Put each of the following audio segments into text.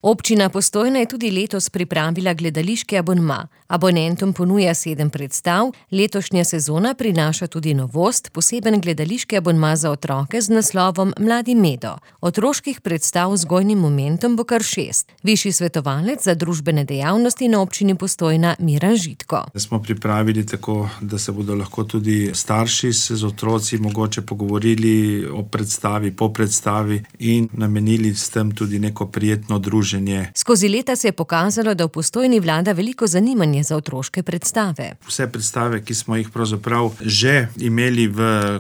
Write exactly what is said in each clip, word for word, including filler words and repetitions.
Občina Postojna je tudi letos pripravila gledališki abonma. Abonentom ponuja sedem predstav, letošnja sezona prinaša tudi novost, poseben gledališki abonma za otroke z naslovom Mladi Medo. Otroških predstav z vzgojnim momentom bo kar šest. Višji svetovalec za družbene dejavnosti na občini Postojna Miran Žitko. Smo pripravili tako, da se bodo lahko tudi starši z otroci mogoče pogovorili o predstavi, po predstavi in namenili s tem tudi neko prijetno druženje. Skozi leta se je pokazalo, da v Postojni vlada veliko zanimanje za otroške predstave. Vse predstave, ki smo jih pravzaprav že imeli v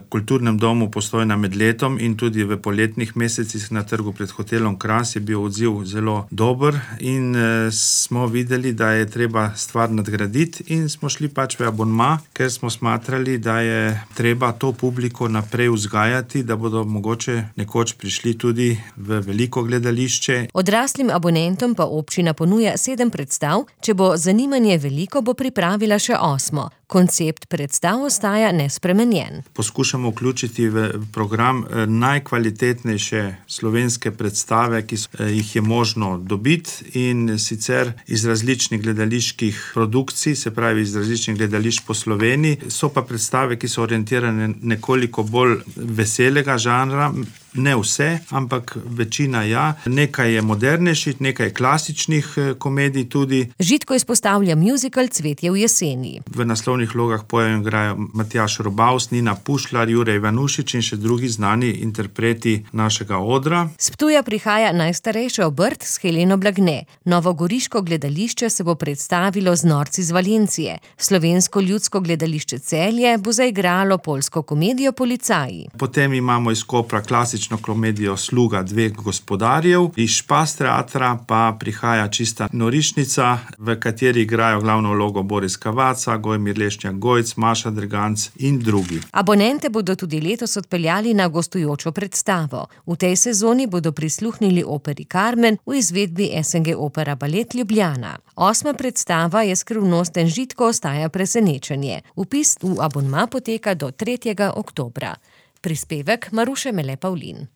kulturnem domu Postojna med letom in tudi v poletnih mesecih na trgu pred hotelom Kras, je bil odziv zelo dober in e, smo videli, da je treba stvar nadgraditi in smo šli pač v abonma, ker smo smatrali, da je treba to publiko naprej vzgajati, da bodo mogoče nekoč prišli tudi v veliko gledališče. Odraslim abonentom pa občina ponuja sedem predstav, če bo zanimanje veliko, bo pripravila še osmo. Koncept predstav ostaja nespremenjen. Poskušamo vključiti v program najkvalitetnejše slovenske predstave, ki jih je možno dobiti, in sicer iz različnih gledaliških produkcij, se pravi iz različnih gledališč po Sloveniji. So pa predstave, ki so orientirane nekoliko bolj veselega žanra. Ne vse, ampak večina ja. Nekaj je modernejših, nekaj klasičnih komedij tudi. Žitko izpostavlja muzikal Cvetje v jeseni. V naslovnih vlogah pojejo in igrajo Matjaž Robavs, Nina Pušlar, Jure Ivanušič in še drugi znani interpreti našega odra. S Ptuja prihaja najstarejša obrt s Heleno Blagne. Novogoriško gledališče se bo predstavilo z Norci z Valencije. Slovensko ljudsko gledališče Celje bo zaigralo poljsko komedijo Policaji. Potem imamo iz Kopra klasično komedijo Sluga dveh gospodarjev. Iz Špas teatra pa prihaja Čista norišnica, v kateri igrajo glavno vlogo Boris Kavaca, Gojmir Lešnjak Gojc, Maša Dreganc in drugi. Abonente bodo tudi letos odpeljali na gostujočo predstavo. V tej sezoni bodo prisluhnili operi Carmen v izvedbi S N G Opera Balet Ljubljana. Osma predstava je Skrivnosten Žitko ostaja presenečenje. Vpis v abonma poteka do tretjega oktobra. Prispevek Maruše Mele Pavlin.